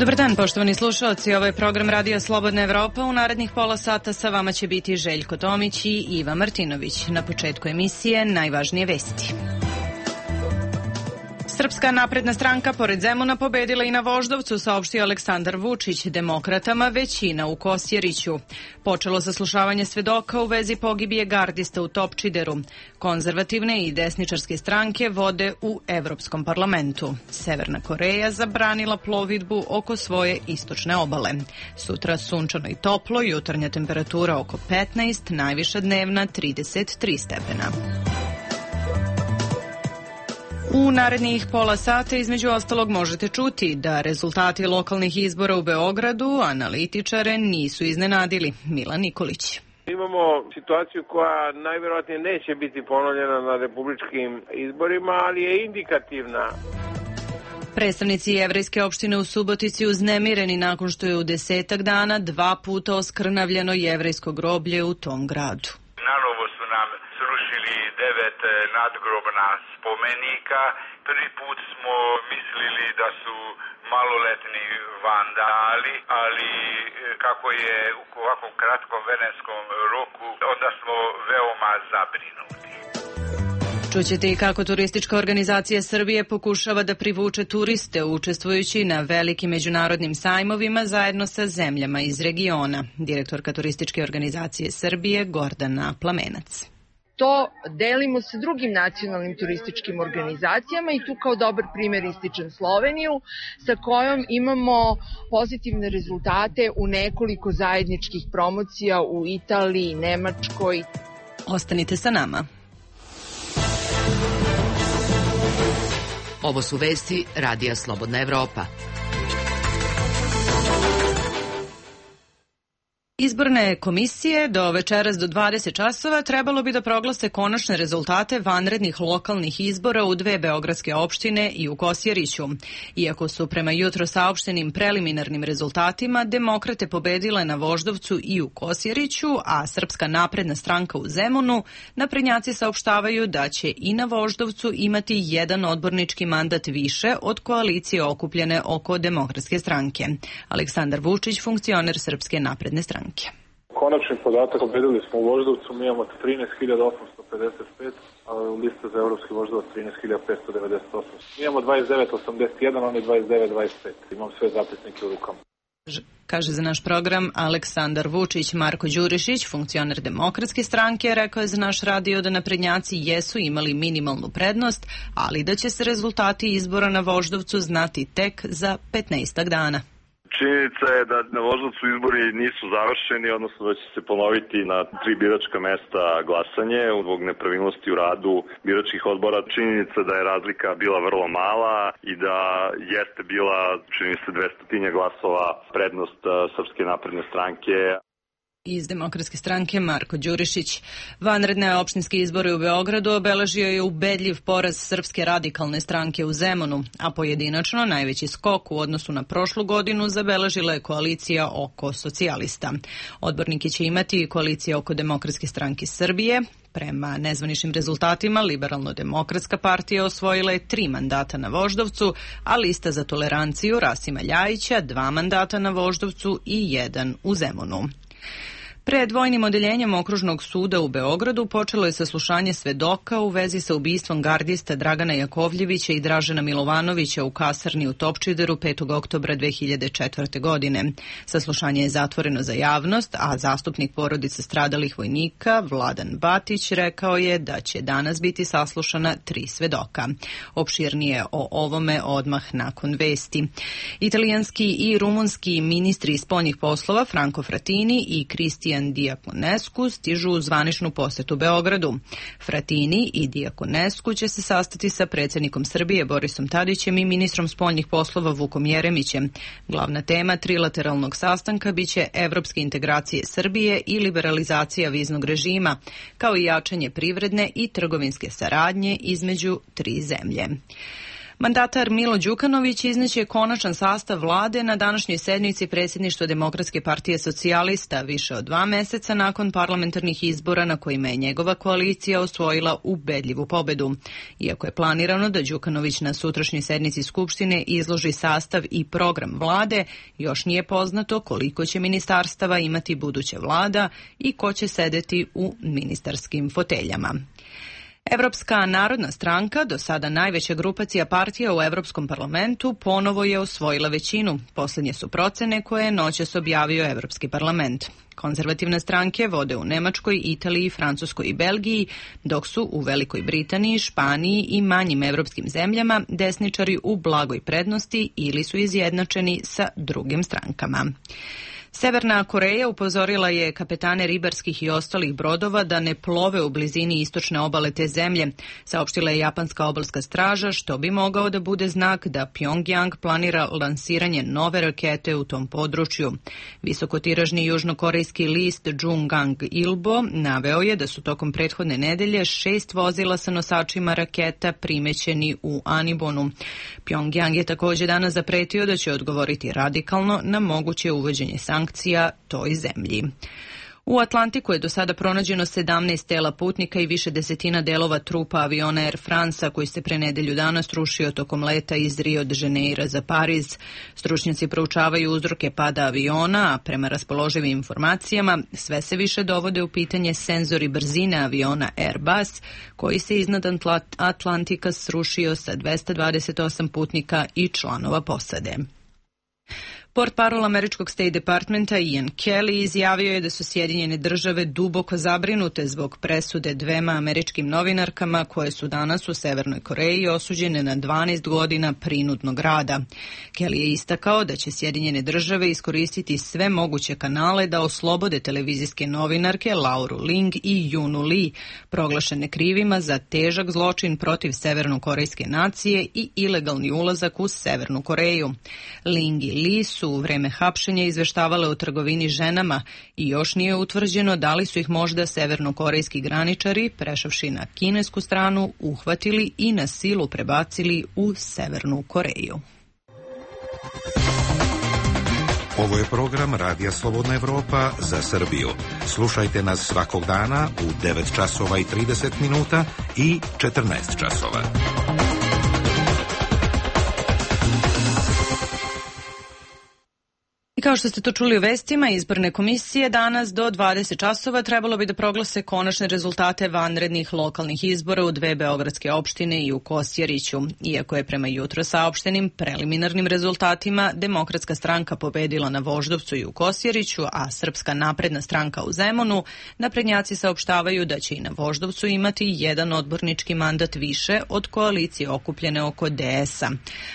Dobar dan, poštovani slušalci. Ovo je program Radio Slobodna Evropa. U narednih pola sata sa vama će biti Željko Tomić i Iva Martinović. Na početku emisije najvažnije vesti. Srpska napredna stranka pored Zemuna pobedila i na Voždovcu, saopštio Aleksandar Vučić. Demokratama većina u Kosjeriću. Počelo saslušavanje svedoka u vezi pogibije gardista u Topčideru. Konzervativne i desničarske stranke vode u Evropskom parlamentu. Severna Koreja zabranila plovidbu oko svoje istočne obale. Sutra sunčano i toplo, jutarnja temperatura oko 15, najviša dnevna 33 stepena. U narednih pola sata između ostalog možete čuti da rezultati lokalnih izbora u Beogradu analitičare nisu iznenadili. Milan Nikolić. Imamo situaciju koja najvjerojatnije neće biti ponovljena na republičkim izborima, ali je indikativna. Predstavnici jevrejske opštine u Subotici uznemireni nakon što je u 10 dana 2 puta oskrnavljeno jevrejsko groblje u tom gradu. Nanovo su nam srušili 9 nadgrobna spomenika. Prvi put smo mislili da su maloletni vandali, ali kako je u ovakvom kratkom vremenskom roku, onda smo veoma zabrinuti. Čućete i kako turistička organizacija Srbije pokušava da privuče turiste učestvujući na velikim međunarodnim sajmovima zajedno sa zemljama iz regiona. Direktorka turističke organizacije Srbije Gordana Plamenac. To delimo sa drugim nacionalnim turističkim organizacijama i tu kao dobar primjer ističem Sloveniju, sa kojom imamo pozitivne rezultate u nekoliko zajedničkih promocija u Italiji, Nemačkoj. Ostanite sa nama. Ovo su vesti Radija Slobodna Evropa. Izborne komisije do večeras do 20 časova trebalo bi da proglase konačne rezultate vanrednih lokalnih izbora u 2 beogradske opštine i u Kosjeriću. Iako su prema jutro saopštenim preliminarnim rezultatima demokrate pobedile na Voždovcu i u Kosjeriću, a Srpska napredna stranka u Zemunu, naprednjaci saopštavaju da će i na Voždovcu imati jedan odbornički mandat više od koalicije okupljene oko Demokratske stranke. Aleksandar Vučić, funkcioner Srpske napredne stranke. Konačni podatak, pobedili smo u Voždovcu, mi imamo 13.855, a lista za evropski Voždovac 13.598. Mi imamo 29.81, oni 29.25. Imam sve zapisnike u rukama. Kaže za naš program Aleksandar Vučić. Marko Đurišić, funkcioner Demokratske stranke, rekao je za naš radio da naprednjaci jesu imali minimalnu prednost, ali da će se rezultati izbora na Voždovcu znati tek za 15 dana. Činjenica je da na Voždovcu izbori nisu završeni, odnosno da će se ponoviti na 3 biračka mesta glasanje zbog nepravilnosti u radu biračkih odbora. Činjenica da je razlika bila vrlo mala i da jeste bila, čini se, 200 glasova prednost Srpske napredne stranke. Iz Demokratske stranke Marko Đurišić. Vanredne opštinske izbore u Beogradu obeležio je ubedljiv poraz Srpske radikalne stranke u Zemunu, a pojedinačno najveći skok u odnosu na prošlu godinu zabeležila je koalicija oko socijalista. Odbornike će imati koalicija oko Demokratske stranke Srbije. Prema nezvaničnim rezultatima, Liberalno-demokratska partija osvojila je 3 mandata na Voždovcu, a lista za toleranciju Rasima Ljajića 2 mandata na Voždovcu i 1 u Zemunu. Pred vojnim odeljenjem Okružnog suda u Beogradu počelo je saslušanje svedoka u vezi sa ubistvom gardista Dragana Jakovljevića i Dražena Milovanovića u kasarni u Topčideru 5. oktobra 2004. godine. Saslušanje je zatvoreno za javnost, a zastupnik porodice stradalih vojnika Vladan Batić rekao je da će danas biti saslušana 3 svedoka. Opširnije o ovome odmah nakon vesti. Italijanski i rumunski ministri spoljnih poslova Franco Frattini i Cristian Diaconescu stižu u zvaničnu posetu Beogradu. Frattini i Diaconescu će se sastati sa predsjednikom Srbije Borisom Tadićem i ministrom spoljnih poslova Vukom Jeremićem. Glavna tema trilateralnog sastanka biće evropske integracije Srbije i liberalizacija viznog režima, kao i jačanje privredne i trgovinske saradnje između 3 zemlje. Mandatar Milo Đukanović izneće konačan sastav vlade na današnjoj sednici predsjedništva Demokratske partije socijalista više od 2 meseca nakon parlamentarnih izbora na kojima je njegova koalicija osvojila ubedljivu pobedu. Iako je planirano da Đukanović na sutrašnjoj sednici Skupštine izloži sastav i program vlade, još nije poznato koliko će ministarstava imati buduća vlada i ko će sedeti u ministarskim foteljama. Evropska narodna stranka, do sada najveća grupacija partija u Evropskom parlamentu, ponovo je osvojila većinu. Posljednje su procene koje je noćas objavio Evropski parlament. Konzervativne stranke vode u Nemačkoj, Italiji, Francuskoj i Belgiji, dok su u Velikoj Britaniji, Španiji i manjim evropskim zemljama desničari u blagoj prednosti ili su izjednačeni sa drugim strankama. Severna Koreja upozorila je kapetane ribarskih i ostalih brodova da ne plove u blizini istočne obale te zemlje, saopštila je japanska obalska straža, što bi mogao da bude znak da Pjongjang planira lansiranje nove rakete u tom području. Visokotiražni južnokorejski list Jungang Ilbo naveo je da su tokom prethodne nedelje 6 vozila sa nosačima raketa primećeni u Anibonu. Pjongjang je također danas zapretio da će odgovoriti radikalno na moguće uvođenje sankcija toj zemlji. U Atlantiku je do sada pronađeno 17 tela putnika i više desetina delova trupa aviona Air France koji se pre nedelju dana srušio tokom leta iz Rio de Janeira za Pariz. Stručnjaci proučavaju uzroke pada aviona, a prema raspoloživim informacijama sve se više dovode u pitanje senzori brzine aviona Airbus koji se iznad Atlantika srušio sa 228 putnika i članova posade. Portparol američkog State Departmenta Ian Kelly izjavio je da su Sjedinjene države duboko zabrinute zbog presude 2 američkim novinarkama koje su danas u Severnoj Koreji osuđene na 12 godina prinudnog rada. Kelly je istakao da će Sjedinjene države iskoristiti sve moguće kanale da oslobode televizijske novinarke Lauru Ling i Junu Lee, proglašene krivima za težak zločin protiv severnokorejske nacije i ilegalni ulazak u Severnu Koreju. Ling i Lee su u vreme hapšenja izveštavale o trgovini ženama i još nije utvrđeno da li su ih možda severnokorejski graničari, prešavši na kinesku stranu, uhvatili i na silu prebacili u Severnu Koreju. Ovo je program Radija Slobodna Evropa za Srbiju. Slušajte nas svakog dana u 9 časova i 30 minuta i 14 časova. I kao što ste to čuli u vestima, izborne komisije danas do 20 časova trebalo bi da proglase konačne rezultate vanrednih lokalnih izbora u 2 beogradske opštine i u Kosjeriću. Iako je prema jutro saopštenim preliminarnim rezultatima Demokratska stranka pobedila na Voždovcu i u Kosjeriću, a Srpska napredna stranka u Zemunu, naprednjaci saopštavaju da će i na Voždovcu imati jedan odbornički mandat više od koalicije okupljene oko DS-a.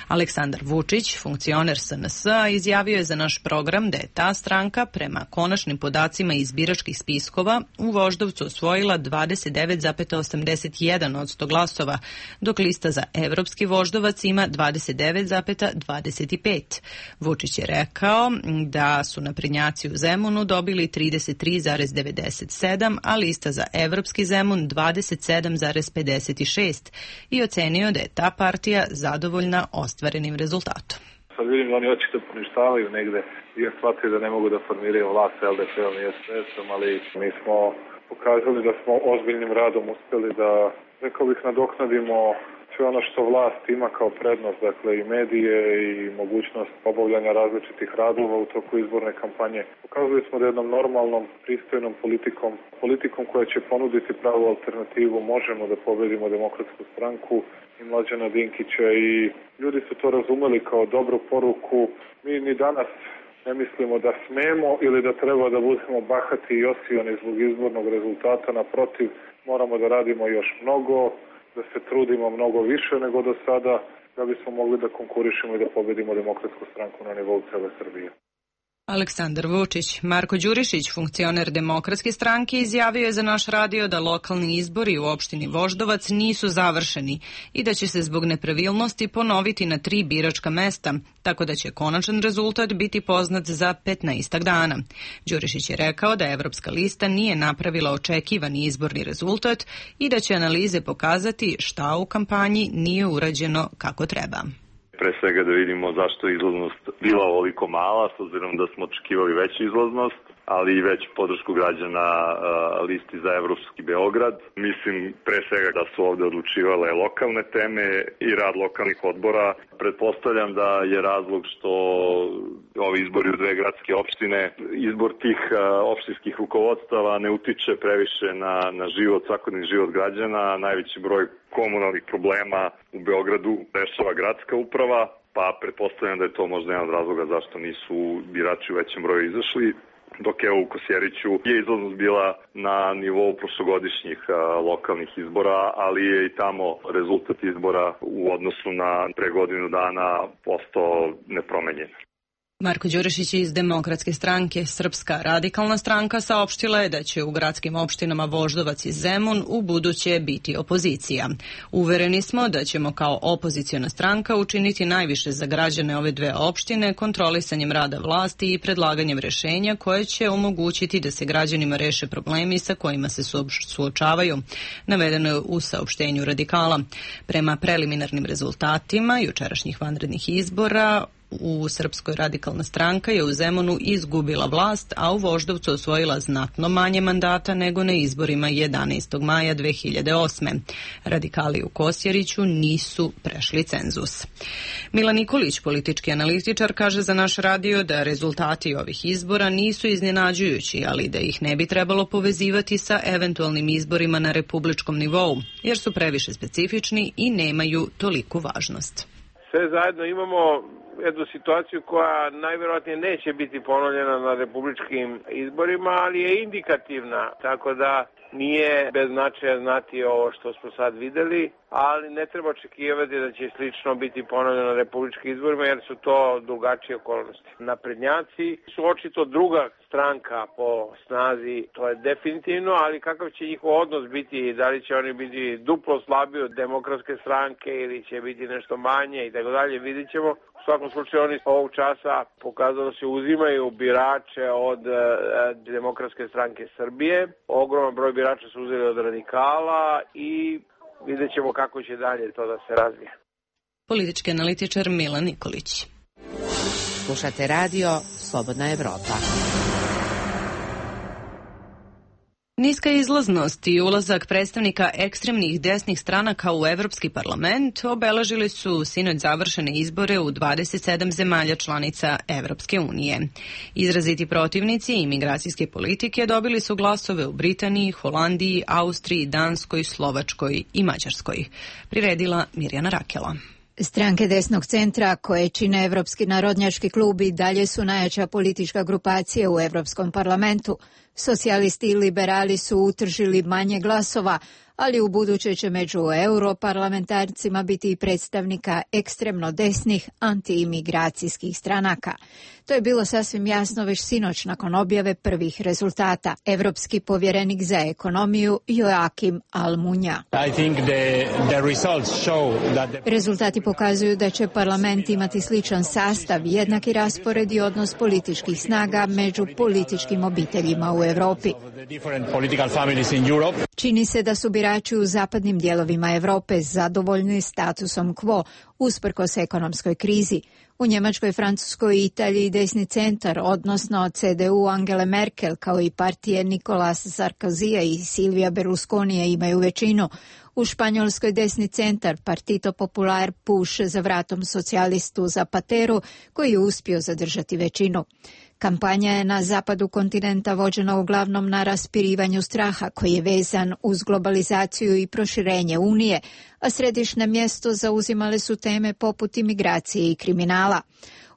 Aleksandar Vučić, funkcioner SNS-a, izjavio je za naš program da je ta stranka prema konačnim podacima iz biračkih spiskova u Voždovcu osvojila 29,81% glasova, dok lista za Evropski Voždovac ima 29,25%. Vučić je rekao da su naprednjaci u Zemunu dobili 33,97%, a lista za Evropski Zemun 27,56% i ocenio da je ta partija zadovoljna ostvarenim rezultatom. Sad vidim da oni očito poništavaju negde i shvatili da ne mogu da formiraju vlast sa LDP-om i SPS-om, ali mi smo pokazali da smo ozbiljnim radom uspeli da, rekao bih, nadoknadimo sve ono što vlast ima kao prednost, dakle i medije i mogućnost obavljanja različitih radova u toku izborne kampanje. Pokazali smo da jednom normalnom, pristojnom politikom koja će ponuditi pravu alternativu, možemo da pobedimo Demokratsku stranku i Mlađana Dinkića i ljudi su to razumeli kao dobru poruku. Mi ni danas ne mislimo da smemo ili da treba da budemo bahati i osioni zbog izbornog rezultata. Naprotiv, moramo da radimo još mnogo, da se trudimo mnogo više nego do sada da bismo mogli da konkurišemo i da pobedimo Demokratsku stranku na nivou cele Srbije. Aleksandar Vučić. Marko Đurišić, funkcioner Demokratske stranke, izjavio je za naš radio da lokalni izbori u opštini Voždovac nisu završeni i da će se zbog nepravilnosti ponoviti na 3 biračka mesta, tako da će konačan rezultat biti poznat za 15 dana. Đurišić je rekao da Evropska lista nije napravila očekivani izborni rezultat i da će analize pokazati šta u kampanji nije urađeno kako treba. Pre svega da vidimo zašto je izlaznost bila ovoliko mala, s obzirom da smo očekivali veću izlaznost, ali i veću podršku građana listi za Evropski Beograd. Mislim pre svega da su ovde odlučivale lokalne teme i rad lokalnih odbora. Pretpostavljam da je razlog što ovi izbori u 2 gradske opštine, izbor tih opštinskih rukovodstava ne utiče previše na život, svakodnevni život građana. Najveći broj komunalnih problema u Beogradu rešava gradska uprava, pa pretpostavljam da je to možda jedan od razloga zašto nisu birači u većem broju izašli. Dok je u Kosjeriću je izlaznost bila na nivou prošlogodišnjih lokalnih izbora, ali je i tamo rezultat izbora u odnosu na pre godinu dana postao nepromenjen. Marko Đurišić iz Demokratske stranke. Srpska radikalna stranka saopštila je da će u gradskim opštinama Voždovac i Zemun u buduće biti opozicija. Uvereni smo da ćemo kao opoziciona stranka učiniti najviše za građane ove 2 opštine kontrolisanjem rada vlasti i predlaganjem rešenja koje će omogućiti da se građanima reše problemi sa kojima se suočavaju, navedeno je u saopštenju Radikala. Prema preliminarnim rezultatima jučerašnjih vanrednih izbora u Srpskoj radikalna stranka je u Zemunu izgubila vlast, a u Voždovcu osvojila znatno manje mandata nego na izborima 11. maja 2008. Radikali u Kosjeriću nisu prešli cenzus. Milan Nikolić, politički analitičar, kaže za naš radio da rezultati ovih izbora nisu iznenađujući, ali da ih ne bi trebalo povezivati sa eventualnim izborima na republičkom nivou, jer su previše specifični i nemaju toliku važnost. Sve zajedno imamo jednu situaciju koja najvjerojatnije neće biti ponovljena na republičkim izborima, ali je indikativna, tako da nije bez značaja znati ovo što smo sad videli, ali ne treba očekivati da će slično biti ponovljeno na republičkim izborima jer su to drugačije okolnosti. Naprednjaci su očito druga stranka po snazi, to je definitivno, ali kakav će njihov odnos biti, da li će oni biti duplo slabiji od Demokratske stranke ili će biti nešto manje i tako dalje, vidit ćemo. U svakom slučaju oni ovog časa pokazalo se uzimaju birače od Demokratske stranke Srbije. Ogroman broj birača su uzeli od Radikala i vidjet ćemo kako će dalje to da se razvije. Politički analitičar Milan Nikolić. Slušate radio Slobodna Evropa. Niska izlaznost i ulazak predstavnika ekstremnih desnih stranaka u Evropski parlament obeležili su sinoć završene izbore u 27 zemalja članica Evropske unije. Izraziti protivnici imigracijske politike dobili su glasove u Britaniji, Holandiji, Austriji, Danskoj, Slovačkoj i Mađarskoj. Priredila Mirjana Rakela. Stranke desnog centra koje čine Evropski narodnjački klub i dalje su najjača politička grupacija u Evropskom parlamentu. Socijalisti i liberali su utržili manje glasova, ali u buduće će među europarlamentarcima biti i predstavnika ekstremno desnih antiimigracijskih stranaka. To je bilo sasvim jasno već sinoć nakon objave prvih rezultata. Evropski povjerenik za ekonomiju Joakim Almunia. Rezultati pokazuju da će parlament imati sličan sastav, jednaki raspored i odnos političkih snaga među političkim obiteljima u Europi. Čini se da su birači u zapadnim dijelovima Europe zadovoljni statusom quo, usprkos ekonomskoj krizi. U Njemačkoj, Francuskoj i Italiji desni centar, odnosno CDU Angele Merkel, kao i partije Nicolas Sarkozija i Silvia Berlusconija imaju većinu. U Španjolskoj desni centar, Partito Popular, puše za vratom socijalistu Zapateru, koji je uspio zadržati većinu. Kampanja je na zapadu kontinenta vođena uglavnom na raspirivanju straha koji je vezan uz globalizaciju i proširenje Unije, a središnje mjesto zauzimale su teme poput imigracije i kriminala.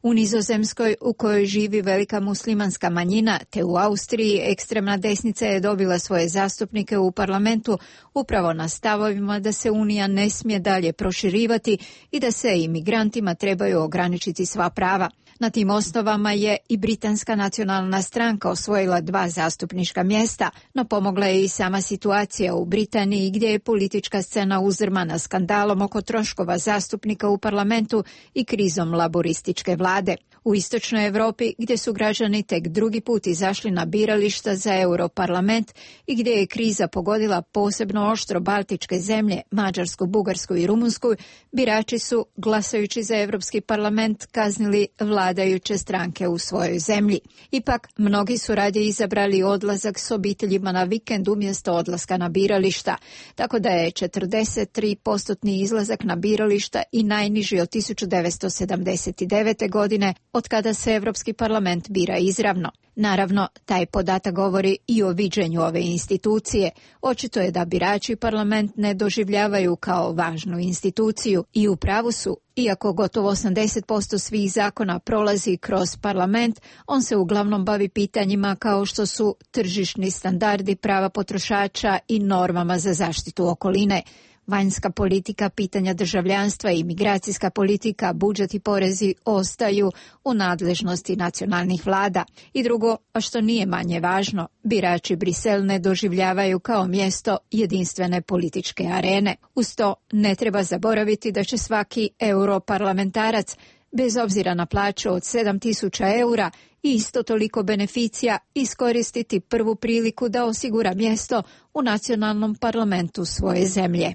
U Nizozemskoj, u kojoj živi velika muslimanska manjina, te u Austriji, ekstremna desnica je dobila svoje zastupnike u parlamentu upravo na stavovima da se Unija ne smije dalje proširivati i da se imigrantima trebaju ograničiti sva prava. Na tim osnovama je i Britanska nacionalna stranka osvojila 2 zastupnička mjesta, no pomogla je i sama situacija u Britaniji gdje je politička scena uzdrmana skandalom oko troškova zastupnika u parlamentu i krizom laborističke vlade. U istočnoj Europi, gdje su građani tek drugi put izašli na birališta za Europarlament i gdje je kriza pogodila posebno oštro baltičke zemlje, Mađarsku, Bugarsku i Rumunsku, birači su, glasajući za Europski parlament, kaznili vladajuće stranke u svojoj zemlji. Ipak, mnogi su radije izabrali odlazak s obiteljima na vikend umjesto odlaska na birališta, tako da je 43% izlazak na birališta i najniži od 1979. godine, od kada se Europski parlament bira izravno. Naravno, taj podatak govori i o viđenju ove institucije. Očito je da birači parlament ne doživljavaju kao važnu instituciju i u pravu su. Iako gotovo 80% svih zakona prolazi kroz parlament, on se uglavnom bavi pitanjima kao što su tržišni standardi, prava potrošača i normama za zaštitu okoline. Vanjska politika, pitanja državljanstva i migracijska politika, budžet i porezi ostaju u nadležnosti nacionalnih vlada. I drugo, a što nije manje važno, birači Brisel ne doživljavaju kao mjesto jedinstvene političke arene. Uz to ne treba zaboraviti da će svaki europarlamentarac, bez obzira na plaću od 7.000 eura i isto toliko beneficija, iskoristiti prvu priliku da osigura mjesto u nacionalnom parlamentu svoje zemlje.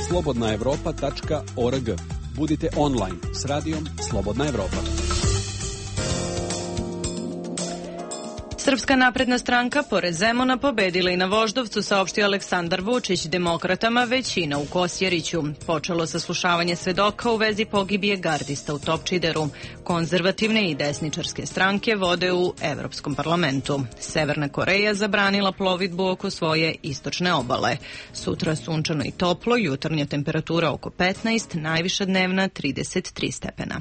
slobodnaevropa.org. Budite online s radijom Slobodna Evropa. Srpska napredna stranka pored Zemuna pobedila i na Voždovcu, saopštio Aleksandar Vučić. Demokratama većina u Kosjeriću. Počelo saslušavanje svedoka u vezi pogibije gardista u Topčideru. Konzervativne i desničarske stranke vode u Evropskom parlamentu. Severna Koreja zabranila plovidbu oko svoje istočne obale. Sutra sunčano i toplo, jutarnja temperatura oko 15, najviša dnevna 33 stepena.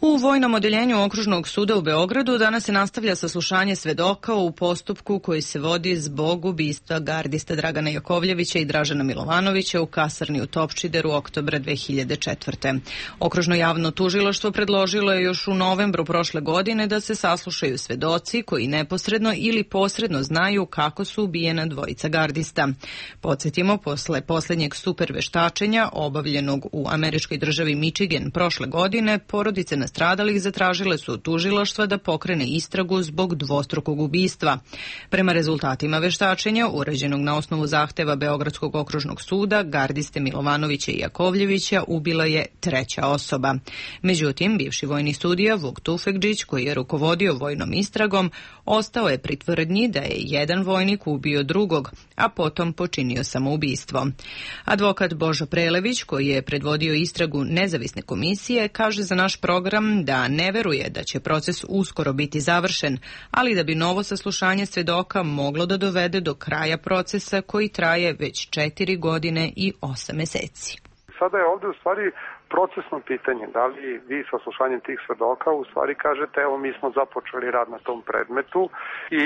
U Vojnom odeljenju Okružnog suda u Beogradu danas se nastavlja saslušanje svedoka u postupku koji se vodi zbog ubistva gardista Dragana Jakovljevića i Dražana Milovanovića u kasarni u Topčideru oktobra 2004. Okružno javno tužilaštvo predložilo je još u novembru prošle godine da se saslušaju svedoci koji neposredno ili posredno znaju kako su ubijena dvojica gardista. Podsjetimo, posle posljednjeg superveštačenja obavljenog u američkoj državi Michigan prošle godine, porodice nastradalih zatražile su od tužilaštva da pokrene istragu zbog dvostrukog ubistva. Prema rezultatima veštačenja, urađenog na osnovu zahteva Beogradskog okružnog suda, gardiste Milovanovića i Jakovljevića ubila je treća osoba. Međutim, bivši vojni sudija Vuk Tufekđić, koji je rukovodio vojnom istragom, ostao je pri tvrdnji da je jedan vojnik ubio drugog, a potom počinio samoubistvo. Advokat Božo Prelević, koji je predvodio istragu nezavisne komisije, kaže za naš program da ne veruje da će proces uskoro biti završen, ali da bi novo saslušanje svedoka moglo da dovede do kraja procesa koji traje već 4 godine i 8 meseci. Sada je ovdje u stvari procesno pitanje, da li vi saslušanjem tih svedoka u stvari kažete evo mi smo započeli rad na tom predmetu i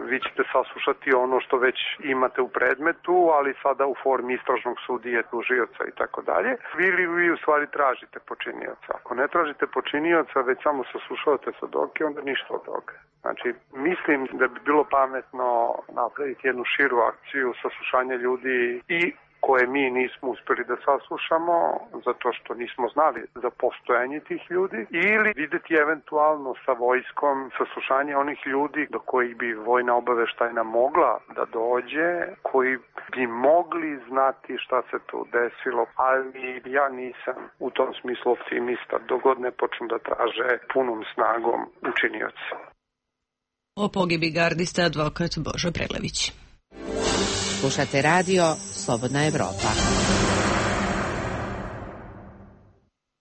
vi ćete saslušati ono što već imate u predmetu, ali sada u formi istražnog sudije, tužioca i tako dalje. Ili vi u stvari tražite počinioca. Ako ne tražite počinioca, već samo saslušavate svedoke, onda ništa od toga. Znači, mislim da bi bilo pametno napraviti jednu širu akciju saslušanja ljudi i koje mi nismo uspjeli da saslušamo zato što nismo znali za postojanje tih ljudi, ili vidjeti eventualno sa vojskom saslušanje onih ljudi do kojih bi vojna obaveštajna mogla da dođe, koji bi mogli znati šta se tu desilo, ali ja nisam u tom smislu optimista dok god ne počnu da traže punom snagom učinioci. O pogibi gardista advokat Božo Prelević. Slušate radio Slobodna Evropa.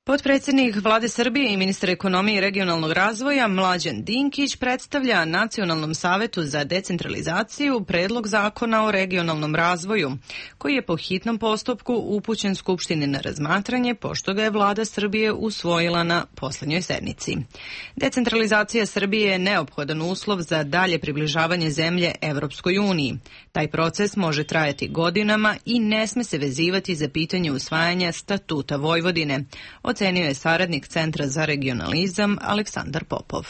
Potpredsjednik Vlade Srbije i ministar ekonomije i regionalnog razvoja Mlađan Dinkić predstavlja Nacionalnom savetu za decentralizaciju predlog zakona o regionalnom razvoju, koji je po hitnom postupku upućen Skupštini na razmatranje, pošto ga je Vlada Srbije usvojila na poslednjoj sednici. Decentralizacija Srbije je neophodan uslov za dalje približavanje zemlje Evropskoj uniji. Taj proces može trajati godinama i ne sme se vezivati za pitanje usvajanja statuta Vojvodine, ocenio je saradnik Centra za regionalizam Aleksandar Popov.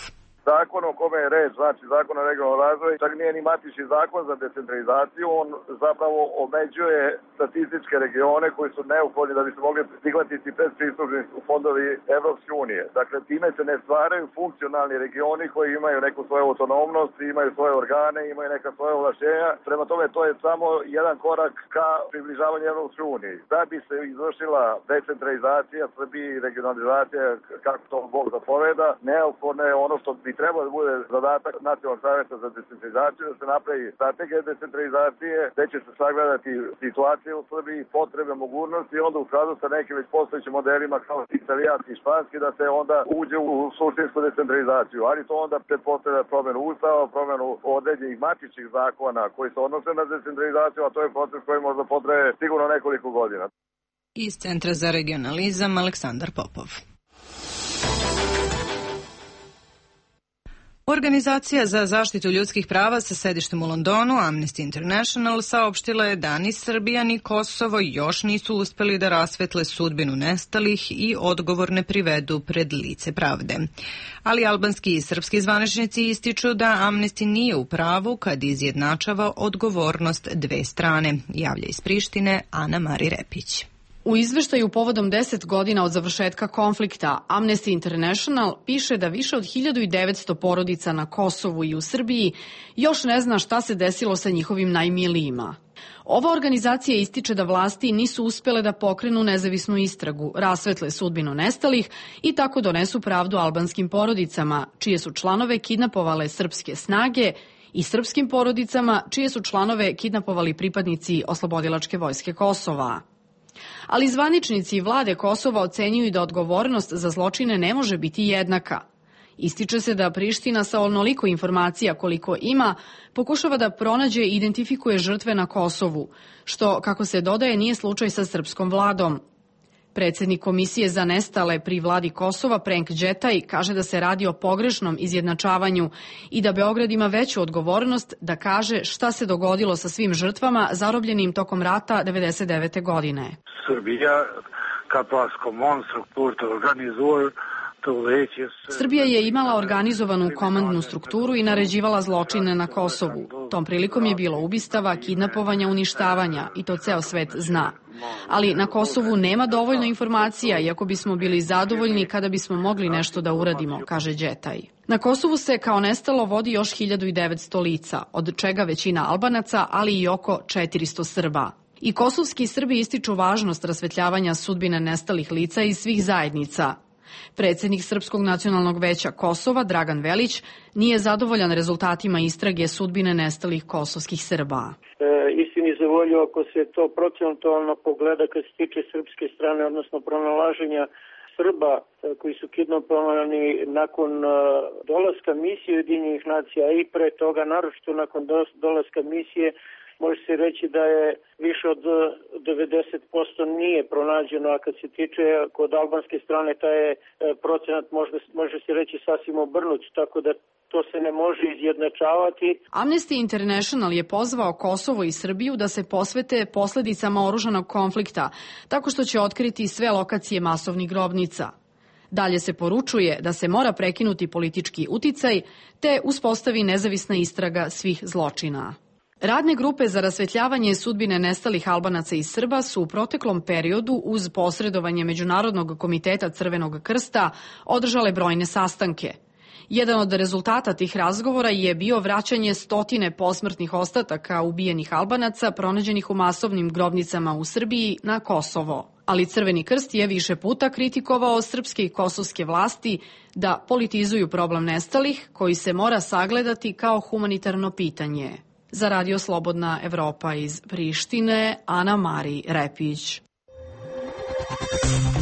Zakon o kome je reč, znači zakon o regionalnom razvoju, čak nije ni matični zakon za decentralizaciju, on zapravo omeđuje statističke regione koji su neophodni da bi se mogli prihvatiti predpristupni fondovi Evropske unije. Dakle, time se ne stvaraju funkcionalni regioni koji imaju neku svoju autonomnost, imaju svoje organe, imaju neka svoje ovlašćenja. Prema tome, to je samo jedan korak ka približavanju Evropske unije. Da bi se izvršila decentralizacija Srbije i regionalizacija, kako to Bog zapoveda, neophodno je ono što bi trebalo da bude zadatak Nacionalnog saveta za decentralizaciju, da se napravi strategija decentralizacije, gde će se sagledati situacije u Srbiji, potrebe, mogućnosti i onda u skladu sa nekim već postojećim modelima kao italijanski i španski da se onda uđe u suštinsku decentralizaciju. Ali to onda pretpostavlja promenu ustava, promenu određenih matičnih zakona koji se odnose na decentralizaciju, a to je proces koji možda potraje sigurno nekoliko godina. Iz Centra za regionalizam Aleksandar Popov. Organizacija za zaštitu ljudskih prava sa sedištem u Londonu, Amnesty International, saopštila je da ni Srbija ni Kosovo još nisu uspeli da rasvetle sudbinu nestalih i odgovorne privedu pred lice pravde. Ali albanski i srpski zvaničnici ističu da Amnesty nije u pravu kad izjednačava odgovornost dve strane, javlja iz Prištine Ana Mari Repić. U izveštaju povodom 10 godina od završetka konflikta, Amnesty International piše da više od 1900 porodica na Kosovu i u Srbiji još ne zna šta se desilo sa njihovim najmilijima. Ova organizacija ističe da vlasti nisu uspele da pokrenu nezavisnu istragu, rasvetle sudbinu nestalih i tako donesu pravdu albanskim porodicama, čije su članove kidnapovale srpske snage, i srpskim porodicama, čije su članove kidnapovali pripadnici Oslobodilačke vojske Kosova. Ali zvaničnici vlade Kosova ocenjuju da odgovornost za zločine ne može biti jednaka. Ističe se da Priština sa onoliko informacija koliko ima pokušava da pronađe i identifikuje žrtve na Kosovu, što, kako se dodaje, nije slučaj sa srpskom vladom. Predsednik Komisije za nestale pri vladi Kosova, Prenk Đetaj, kaže da se radi o pogrešnom izjednačavanju i da Beograd ima veću odgovornost da kaže šta se dogodilo sa svim žrtvama zarobljenim tokom rata 1999. godine. Srbija je imala organizovanu komandnu strukturu i naređivala zločine na Kosovu. Tom prilikom je bilo ubistava, kidnapovanja, uništavanja i to ceo svet zna. Ali na Kosovu nema dovoljno informacija, iako bismo bili zadovoljni kada bismo mogli nešto da uradimo, kaže Đetaj. Na Kosovu se kao nestalo vodi još 1900 lica, od čega većina Albanaca, ali i oko 400 Srba. I kosovski Srbi ističu važnost rasvetljavanja sudbine nestalih lica iz svih zajednica. Predsednik Srpskog nacionalnog veća Kosova, Dragan Velić, nije zadovoljan rezultatima istrage sudbine nestalih kosovskih Srba. Istini za volju, ako se to procentualno pogleda kad se tiče srpske strane, odnosno pronalaženja Srba koji su kidnapovani nakon dolaska misije Ujedinjenih nacija i pre toga, naročito nakon dolaska misije, može se reći da je više od 90% nije pronađeno, a kad se tiče kod albanske strane taj je procenat može se reći sasvim obrnut, tako da to se ne može izjednačavati. Amnesty International je pozvao Kosovo i Srbiju da se posvete posledicama oružanog konflikta, tako što će otkriti sve lokacije masovnih grobnica. Dalje se poručuje da se mora prekinuti politički uticaj, te uspostavi nezavisna istraga svih zločina. Radne grupe za rasvetljavanje sudbine nestalih Albanaca i Srba su u proteklom periodu uz posredovanje Međunarodnog komiteta Crvenog krsta održale brojne sastanke. Jedan od rezultata tih razgovora je bio vraćanje stotine posmrtnih ostataka ubijenih Albanaca pronađenih u masovnim grobnicama u Srbiji na Kosovo. Ali Crveni krst je više puta kritikovao srpske i kosovske vlasti da politizuju problem nestalih, koji se mora sagledati kao humanitarno pitanje. Za Radio Slobodna Evropa iz Prištine, Ana Mari Repić.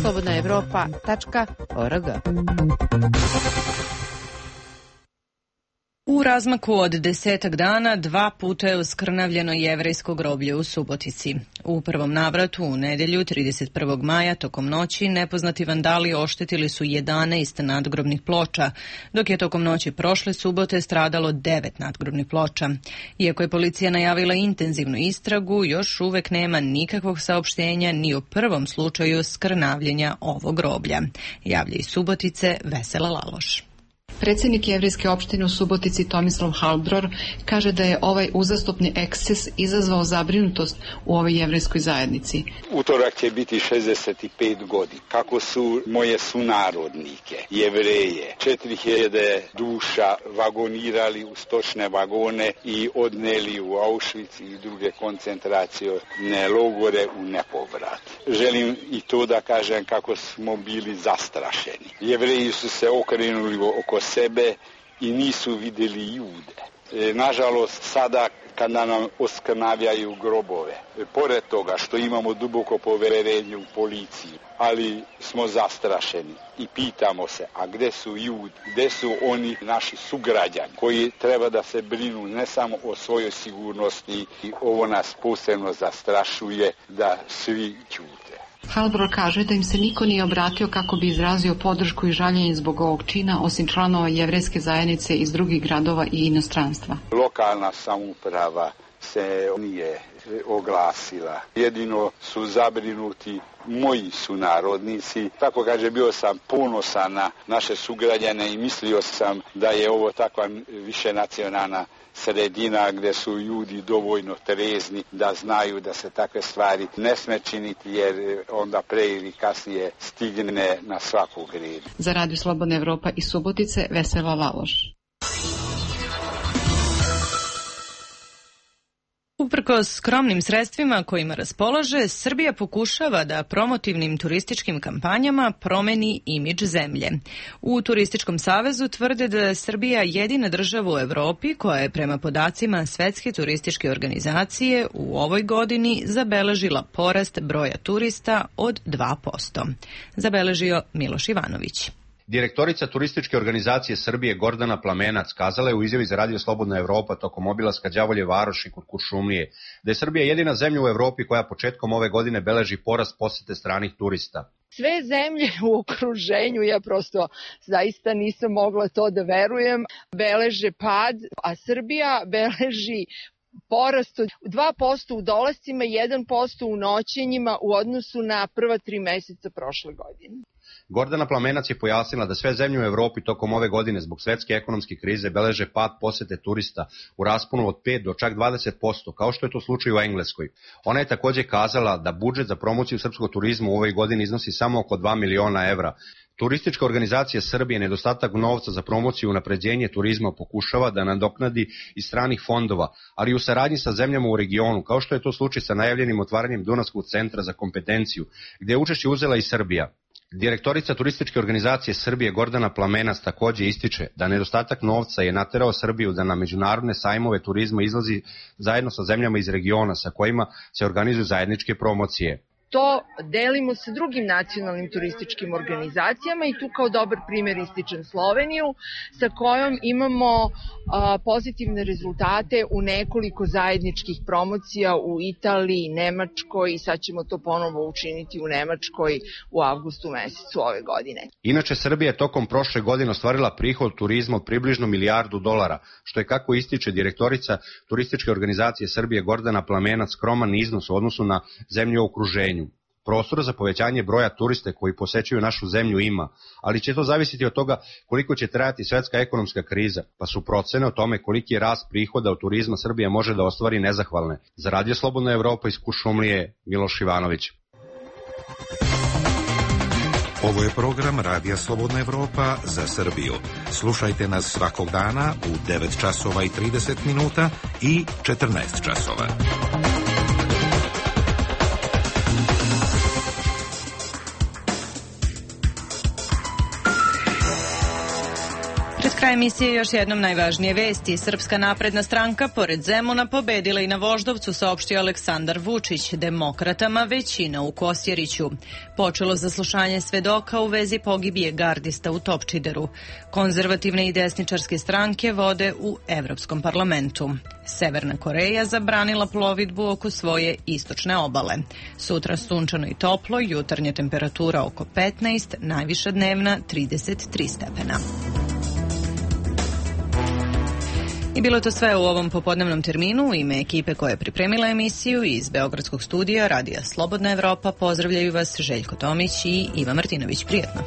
slobodnaevropa.org. U razmaku od 10 dana 2 puta je oskrnavljeno jevrejsko groblje u Subotici. U prvom navratu u nedjelju 31. maja tokom noći nepoznati vandali oštetili su 11 nadgrobnih ploča, dok je tokom noći prošle subote stradalo 9 nadgrobnih ploča. Iako je policija najavila intenzivnu istragu, još uvek nema nikakvog saopštenja ni o prvom slučaju skrnavljenja ovog groblja. Javlja iz Subotice Vesela Laloš. Predsjednik jevrejske opštine u Subotici Tomislav Halbror kaže da je ovaj uzastopni eksces izazvao zabrinutost u ovoj jevrejskoj zajednici. Utorak će biti 65 godina. Kako su moje sunarodnike, jevreje, 4000 duša vagonirali u stočne vagone i odneli u Auschwitz i druge koncentracione logore u nepovrat. Želim i to da kažem kako smo bili zastrašeni. Jevreji su se okrenuli oko sebe i nisu vidjeli Jude. Nažalost, sada kada nam oskrnavljaju grobove, pored toga što imamo duboko poverenje u policiju, ali smo zastrašeni i pitamo se, a gdje su Judi, gdje su oni naši sugrađani koji treba da se brinu ne samo o svojoj sigurnosti, i ovo nas posebno zastrašuje da svi ćute. Halbror kaže da im se niko nije obratio kako bi izrazio podršku i žaljenje zbog ovog čina, osim članova jevrejske zajednice iz drugih gradova i inostranstva. Lokalna samouprava se nije oglasila. Jedino su zabrinuti moji sunarodnici. Tako kaže, bio sam ponosan na naše sugrađane i mislio sam da je ovo takva višenacionalna sredina gdje su ljudi dovoljno trezni da znaju da se takve stvari ne sme činiti, jer onda pre ili kasnije stigne na svakog reda. Za Radio Slobodna Evropa iz Subotice, Vesela Laloš. Uprkos skromnim sredstvima kojima raspolaže, Srbija pokušava da promotivnim turističkim kampanjama promeni imidž zemlje. U Turističkom savezu tvrde da je Srbija jedina država u Evropi koja je prema podacima Svetske turističke organizacije u ovoj godini zabeležila porast broja turista od 2%. Zabeležio Miloš Ivanović. Direktorica Turističke organizacije Srbije Gordana Plamenac kazala je u izjavi za Radio Slobodna Evropa tokom obilaska Đavolje Varoši kod Kuršumlije da je Srbija jedina zemlja u Evropi koja početkom ove godine beleži porast posete stranih turista. Sve zemlje u okruženju, ja prosto zaista nisam mogla to da verujem, beleže pad, a Srbija beleži porast od 2% u dolascima, 1% u noćenjima u odnosu na prva 3 meseca prošle godine. Gordana Plamenac je pojasnila da sve zemlje u Evropi tokom ove godine zbog svetske ekonomske krize beleže pad posete turista u rasponu od 5 do čak 20%, kao što je to slučaj u Engleskoj. Ona je također kazala da budžet za promociju srpskog turizma u ovoj godini iznosi samo oko 2 miliona evra. Turistička organizacija Srbije nedostatak novca za promociju i unapređenje turizma pokušava da nadoknadi iz stranih fondova, ali u saradnji sa zemljama u regionu, kao što je to slučaj sa najavljenim otvaranjem Dunavskog centra za kompetenciju, gdje je učešće uzela i Srbija. Direktorica Turističke organizacije Srbije Gordana Plamenac također ističe da nedostatak novca je naterao Srbiju da na međunarodne sajmove turizma izlazi zajedno sa zemljama iz regiona sa kojima se organizuju zajedničke promocije. To delimo sa drugim nacionalnim turističkim organizacijama i tu kao dobar primjer ističem Sloveniju, sa kojom imamo pozitivne rezultate u nekoliko zajedničkih promocija u Italiji, Nemačkoj i sad ćemo to ponovo učiniti u Nemačkoj u avgustu mesecu ove godine. Inače, Srbija je tokom prošle godine ostvarila prihod turizma od približno $1 milijardu, što je, kako ističe direktorica Turističke organizacije Srbije Gordana Plamenac, skroman iznos u odnosu na zemlju u okruženju. Prostora za povećanje broja turista koji posećuju našu zemlju ima, ali će to zavisiti od toga koliko će trajati svetska ekonomska kriza, pa su procene o tome koliki je rast prihoda od turizma Srbija može da ostvari nezahvalne. Za Radio Slobodna Evropa iz Kuršumlije, Miloš Ivanović. Ovo je program Radija Slobodna Evropa za Srbiju. Slušajte nas svakog dana u 9 časova i 30 minuta i 14 časova. Pred Kraj emisije još jednom najvažnije vesti. Srpska napredna stranka pored Zemuna pobedila i na Voždovcu, saopštio Aleksandar Vučić. Demokratama većina u Kosjeriću. Počelo zaslušanje svedoka u vezi pogibije gardista u Topčideru. Konzervativne i desničarske stranke vode u Evropskom parlamentu. Severna Koreja zabranila plovidbu oko svoje istočne obale. Sutra sunčano i toplo, jutarnja temperatura oko 15, najviša dnevna 33 stepena. I bilo to sve u ovom popodnevnom terminu. U ime ekipe koja je pripremila emisiju iz Beogradskog studija Radija Slobodna Evropa pozdravljaju vas Željko Tomić i Iva Martinović. Prijetno.